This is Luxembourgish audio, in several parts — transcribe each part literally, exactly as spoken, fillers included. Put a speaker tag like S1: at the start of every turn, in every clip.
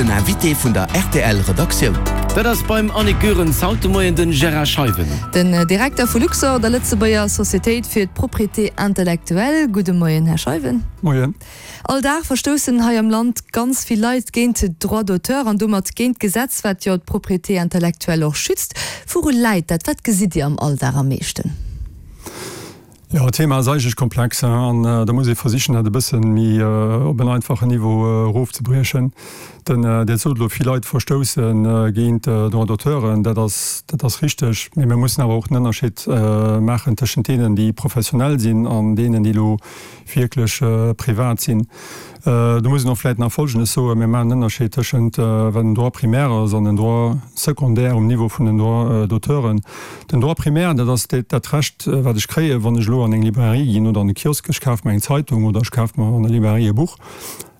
S1: Den Invité vun der R T L Redaktioun.
S2: Dat ass beim Annick Goerens haut de Moien den Gérard Scheiwen.
S3: Den Direkter vu Luxorr, der Lëtzebuerger Societéit fir d'Propriété intellectuelle. Gudde Moien, Här Scheiwen.
S4: Moien.
S3: All Dag verstoussen hei am Land ganz vill Leit géint Droit d'auteur an domat géint d'Gesetz, wat jo d'Propriété intellectuelle och schützt. Wouru läit dat? Wat gesitt Dir am Alldag am meeschten?
S4: Jo, d'Thema ass eigentlech komplex an da muss ee versichen, dat e bësse méi op en einfachen Niveau erofzebriechen. Den, Dir sot elo, vill Leit verstousse géint Droit d'auteuren. Dat ass, dat ass richteg, mee mir mussen awer och en Ënnerscheed maachen tëschent deenen, déi professionell sinn, an deenen, déi elo wierklech privat sinn. Do muss een och vläicht nach Folgendes soen: Mir maachen en Ënnerscheed tëschent wat en Droit primaire ass an en Droit secondaire um Niveau vun den Droits d'auteuren. Den Droit primaire, dat ass dat Recht, wat ech kréien, wann ech elo an eng Librairie ginn oder an e Kiosk, ech kafe mer eng Zeitung oder ech kafe mer an der Librairie e Buch.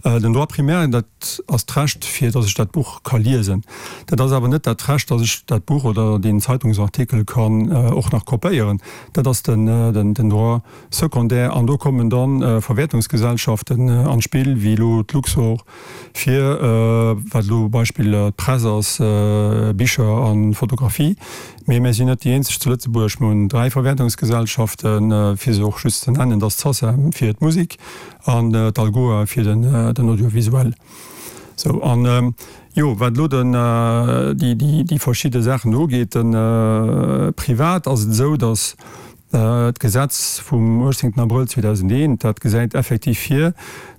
S4: Den Droit primaire, dat ass d'Recht, fir datt ech dat Buch ka liesen. Dat ass awer net dat Recht, datt ech dat Buch oder deen Zeitungsartikel kann och nach kopéieren. Dat ass den, den, den Droit secondaire an do kommen dann Verwäertungsgesellschaften an d'Spill, wéi elo d'Luxorr, fir wat elo Beispill d'Press ass, Bicher a Fotografie. Mee mir sinn net déi eenzeg zu Lëtzebuerg. Mir hunn dräi Verwäertungsgesellschaften, fir se och just ze nennen, dat ass d'SACEM fir d'Musek an d'ALGOA fir den, den Audiovisuel. Sou, an jo, wat elo den, déi, déi, déi verschidde Saachen ugeet, den privat ass et esou, datt d'Gesetz vum uechtzéngten Abrëll zweedausendeent, dat gesäit effektiv vir,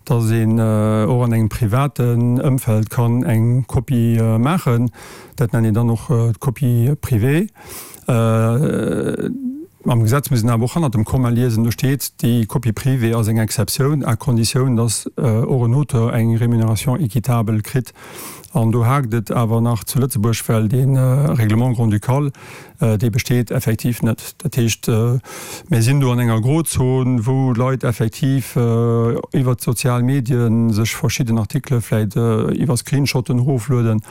S4: datt een och an engem privaten Ëmfeld kann eng Kopie maachen. Dat nennt een dann och d'Copie privée. Am Gesetz muss een awer och hannert dem Komma liesen, do steet, déi Copie privée ass eng Exceptioun, à conditioun, datt och en Auteur eng Rémunération équitable kritt. An do haakt et awer nach zu Lëtzebuerg, well dee Règlement grand-ducal, dee besteet effektiv net. Dat heescht, mir sinn do an enger Grozon, wou Leit effektiv iwwert d'sozial Medie sech verschidden Artikele vläicht iwwer Screenshotten eroflueden.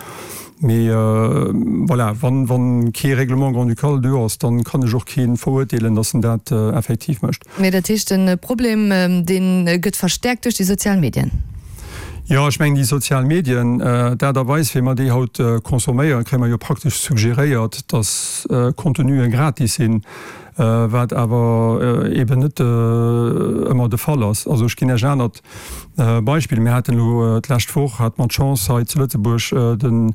S4: Mee voilà, wann, wann kee Règlement grand-ducal do ass, dann kann ech och kee verurteelen, datt en dat effektiv mécht.
S3: Mee dat heescht, de Problem, dee gëtt verstäerkt duerch déi sozial Medien?
S4: Jo, ech mengen déi sozial Medien, d'Aart a Weis, wéi mer déi haut consomméieren, kréie mer jo praktesch suggeréiert, datt Contenue gratis sinn, wat awer eben net ëmmer de Fall ass. Also ech ginn Iech en anert Beispill. Mir haten elo d'lescht Woch hate mer d'Chance hei zu Lëtzebuerg de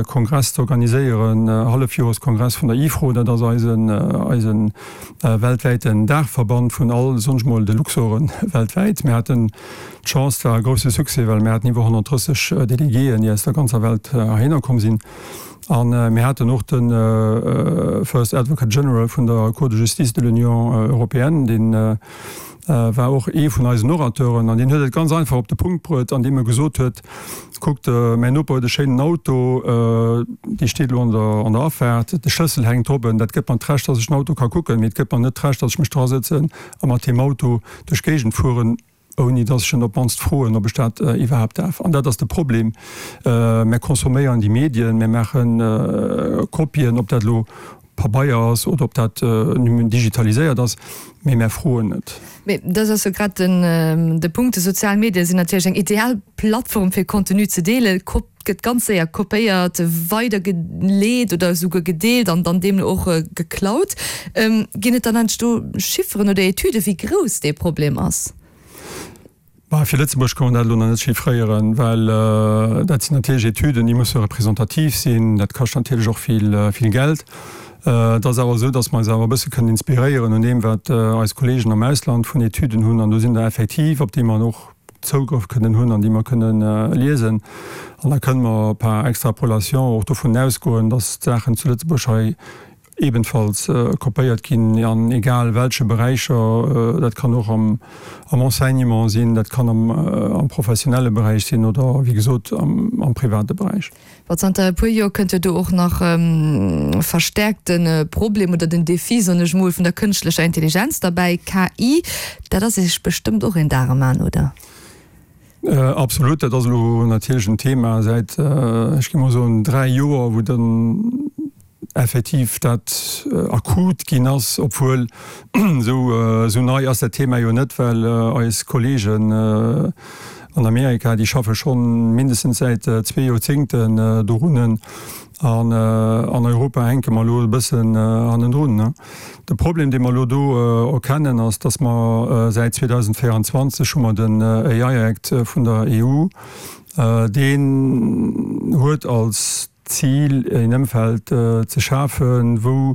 S4: Kongress ze organiséieren, Hallefjoreskongress vun der IFRO, dat ass eisen eise weltwäiten Daachverband vun all, soen ech mol, de Luxoren weltwäit. Mir haten d'Chance, et war e grousse Succès, well mir haten iwwer honnertdrësseg Delegéen, déi aus der ganzer Welt heihinner komm sinn. An mir haten och de First Advocate General vun der Cour de justice de l'Union européenne, dee war och ee vun eisen Orateuren, an deen huet et ganz einfach op de Punkt bruet, andeem e gesot huet: Kuckt, mäin Noper huet e schéinen Auto, dee steet elo an der an der Afaart, de Schlëssel hänkt drop, dat gëtt mer d'Recht, datt ech den Auto ka kucken, mee et gëtt mer net d'Recht, datt ech mech drasëtzen a mat deem Auto duerch d'Géigend fueren, ouni datt ech en op d'mannst froen, ob ech dat iwwerhaapt däerf. An dat ass de Problem. Mär consomméieren déi Medien, mär maache Kopien, ob dat elo Pabeier ass oder ob dat digitaliséiert ass, mee mär froen net.
S3: Mee dat ass jo grad den de Punkt, déi sozial Medie sinn natierlech eng ideal Plattform fir Contenu ze deelen. Kop gëtt ganz séier kopéiert, weidergeleet oder esouguer gedeelt an dann deemno och geklaut. Ginn et dann eigentlech do Chifferen oder Etüden, wéi grouss dee Problem ass?
S4: Bah, fir Lëtzebuerg kann man dat elo nach net chiffréieren, well dat sinn natierlech Etüden, déi musse representativ sinn. Dat kascht natierlech och vill, vill Geld. Et ass awer esou, datt mer eis awer e bësse kënnen inspiréieren un deem, wat eis Kollegen am Ausland vun Etüden hunn. An do sinn der effektiv, op déi mer och Zougrëff kënnen hunn an déi mer kënnen liesen. An da kënnen mer par extrapolation och dovun ausgoen, datt d'Saachen zu Lëtzebuerg hei ebenfalls kopéiert ginn an egal welche Beräicher, dat kann och am am Enseignement sinn, dat kann am am professionelle Beräich sinn oder wéi gesot am am private Beräich.
S3: Bon, zanter e puer Joer kënnt jo do och nach verstäerkt de Problem oder den Défi, soen ech mol, vun der kënschtlecher Intelligenz derbäi, K I. Dat ass Iech bestëmmt och een Dar am An, oder?
S4: Absolut, dat ass elo natierlech en Thema säit, ech géing mol soen, dräi Joer, wou dann effektiv dat akut ginn ass, obwuel esou esou nei ass dat Thema jo net, well eis Kollegen an Amerika, déi schaffe scho mindestens säit zwee Joerzéngten dorunnen. An an Europa hänke mer elo e bëssen hannendrun. De Problem, dee mer elo do erkennen, ass, dass mer säit zweedausendvéierundzwanzeg hu mer den A I Act vun der E U. Deen huet als Zil, een Ëmfeld ze schafen, wou,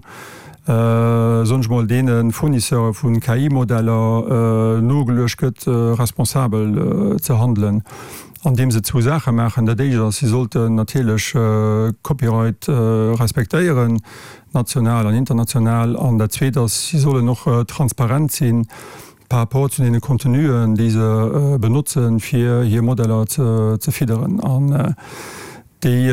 S4: soen ech mol, deene Fournisseure vu K I-Modeller nogeluecht gëtt, responsabel ze handelen, andeem se zwou Saache maachen. Dat éischt ass, si sollten natierlech Copyright respektéieren, national an international. An dat Zweet ass, si sollen och transparent sinn par rapport zu deene Contenuen, déi se benotzen, fir hir Modeller ze fidderen. An déi,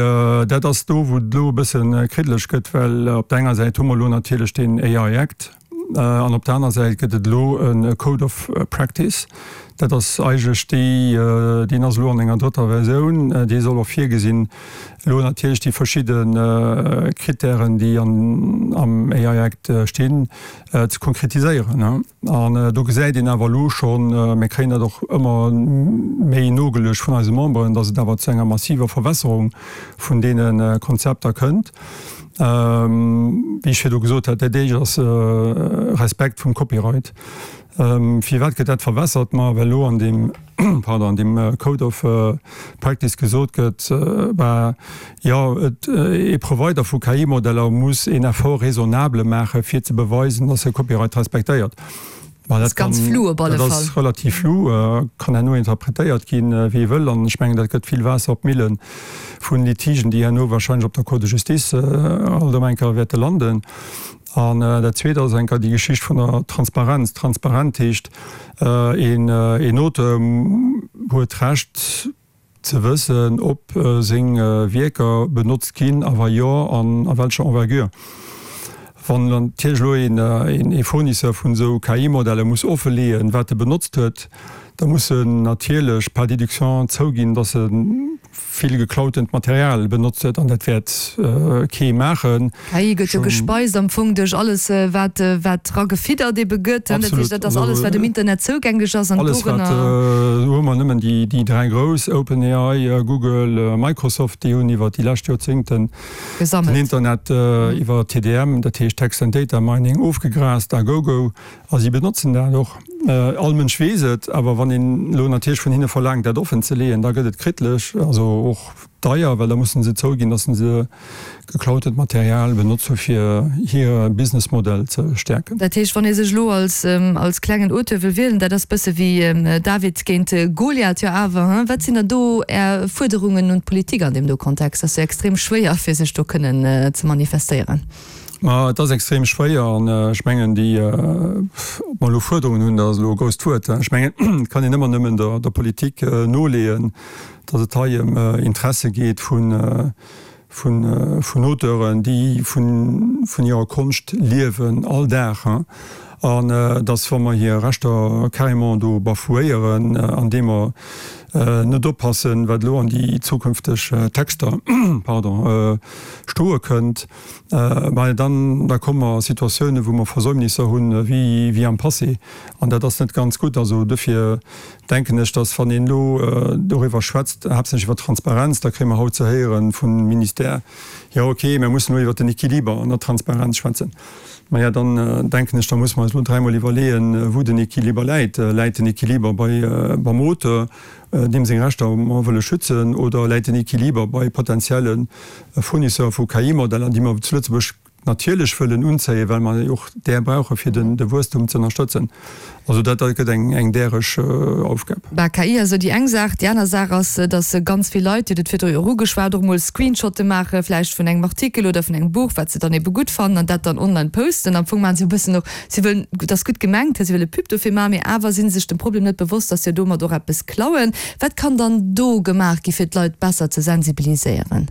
S4: dat ass do, wou et elo e bësse kriddeleg gëtt, well op der enger Säit hu mer elo natierlech deen A I Act an op der aner Säit gëtt et elo e Code of Practice. Dat ass eigentlech déi, deen ass elo an enger drëtter Versioun, dee soll och virgesinn, elo natierlech déi verschidde Krittären, déi am A I Act stinn, ze konkretiséieren. An do gesäit een awer elo schonn, mir kréien dat och ëmmer méi nogeluecht vun eise Memberen, datt et awer zu enger massiver Verwässerung vun deene Konzepter kënnt. Wéi ech virdu gesot hat, dat éischt ass Respekt vum Copyright. Firwat gëtt dat verwässert? Ma well elo an deem, pardon, an deem Code of Practice gesot gëtt, bah jo, et, ee Provider vu K I-Modeller muss een Effort raisonnable maache fir ze beweisen, datt e Copyright respektéiert. Ma dat
S3: ganz flou op alle
S4: Fall. Dat ass relativ flou, kann herno interpretéiert ginn, wéi ee wëll. An ech mengen, dat gëtt vill Waasser op d'Mille vun Litigen, déi herno wahrscheinlech op der Cour de Justice alt ëm eng Kéier wäerte landen. An dat Zweet ass eng Kéier déi Geschicht vun der Transparenz. Transparent heescht, een Auteur huet d'Recht ze wëssen, ob seng Wierker benotzt ginn, a wa jo, an a welcher Envergure. Wann natierlech elo een Fournisseur vun esou K I-Modeller muss offeleeën, wat e benotzt huet, da muss en natierlech par déduction zouginn, dass e vill geklautent Material benotzt huet, an dat wäert kee maachen.
S3: K I gëtt jo gespeist am Fong duerch alles, wat wat dra gefiddert ebe gëtt. Dat heescht, dat ass alles, wat um Internet zougänglech ass an
S4: dorënner. Alles wat, do hu mer nëmmen déi déi dräi grouss, OpenAI, Google, Microsoft, déi hunn iwwer déi lescht Joerzéngten den Internet iwwer T D M, dat heescht Text and Data Mining, ofgegraast a gogo. A si benotzen dat och. All Mënsch weess et, awer wann een elo natierlech vun hinne verlaangt, dat offen ze leeën, da gëtt et kriddeleg, also och deier, well da mussen se zouginn, datt se geklautent Material benotzt hu fir hire Businessmodell ze stäerken.
S3: Dat heescht, wann ee sech elo als als klengen Auteur wëll wielen, dat ass bësse wéi David géint Goliath, jo awer, hein? Wat sinn dann do Är Fuerderungen un d'Politik an deem do Kontext? Dat ass jo extrem schwéier, fir sech do kënnen ze manifestéieren.
S4: Ma et ass extrem schwéier an ech mengen déi, ob mer elo Fuerderungen hunn, dat ass elo e grousst Wuert. Ech mengen, et kann een ëmmer nëmmen der der Politik noleeën, datt et hei ëm Interesse geet vun vun vun Auteuren, déi vun vun hirer Konscht liewen all Dag, an datt wa mer hir Rechter carrément do bafouéieren, andeem mer net oppassen, wat elo an déi zukünfteg Texter, pardon, stoe kënnt, well dann, da komme mer a Situatiounen, wou mer Versäumnisser hunn, wéi, wéi am Passé. An dat ass net ganz gutt. Also dofir denken ech, dass, wann een elo doriwwer schwätzt, haaptsächlech iwwer Transparenz, da kréie mer haut ze héiere vum Ministère, Jo, okay, mir mussen elo iwwert den Equiliber an der Transparenz schwätzen. Maja, dann denken ech, da musse mer eis elo dräimol iwwerleeën, wou den Equiliber läit. Läit den Equiliber bei, beim Auteur, deem seng Rechter mer wëlle schützen, oder läit den Equiliber bei potenzielle Fournisseure vu K I-Modeller, déi mer zu Lëtzebuerg natierlech wëllen unzéien, well mer jo och där brauche fir de Wuesstum ze ënnerstëtzen? Also dat gëtt eng däreg Aufgab.
S3: Bah, K I ass jo déi eng Saach. Déi aner Saach ass, datt ganz vill Leit, Dir hutt et virdru jo och ugeschwat, och emol Screenshotte maache vläicht vun engem Artikel oder vun engem Buch, wat se dann ebe gutt fannen, an dat dann online posten. Am Fong maache se jo e bëssen och, si wëllen, et ass gutt gemengt, si wëlle Pub dofir maachen, mee awer si sech dem Problem net bewosst, datt se jo domat och eppes klauen. Wat kann dann do gemaach gi fir d'Leit besser ze sensibiliséieren?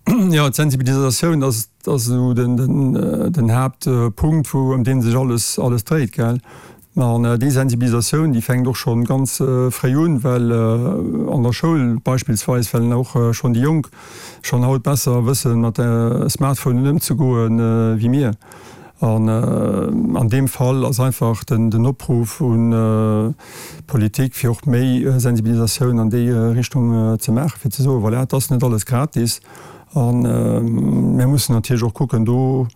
S4: Jo, d'Sensibilisatioun ass ass esou den den den Haaptpunkt, wou ëm dee sech alles alles dréit, gell. An déi Sensibilisatioun, déi fänkt och scho ganz fréi un, well an der Schoul beispillsweis, well och schonn déi Jonk schonn haut besser wëssen, mat de Smartphonen ëmzegoen, wéi mir. An an deem Fall ass einfach den den Opruff un d'Politik, fir och méi Sensibilisatioun an déi Richtung ze maachen, fir ze soen, voilà, et ass net alles gratis. A mir mussen natierlech och kucken, do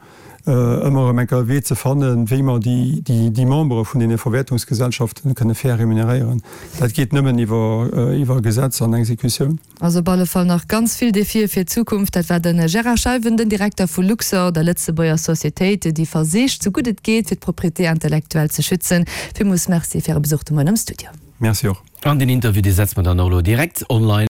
S4: ëmmer erëm eng Kéier e Wee ze fannen, wéi mer déi déi Membere vun deene Verwäertungsgesellschaften kënne fair remuneréieren. Dat geet nëmmen iwwer iwwer Gesetz an Exekutioun.
S3: Also op alle Fall nach ganz vill Defie fir d'Zukunft. Dat war de Gérard Scheiwen, den Direkter vu Luxorr, der Lëtzebuerger Societéit, déi versicht, sou gutt et geet, fir d'Propriété intellectuelle ze schützen. Villmools Merci fir Äre Besuch de Moien am Studio.
S4: Merci och.
S2: An deen Interview, dee setze mer dann och elo direkt online.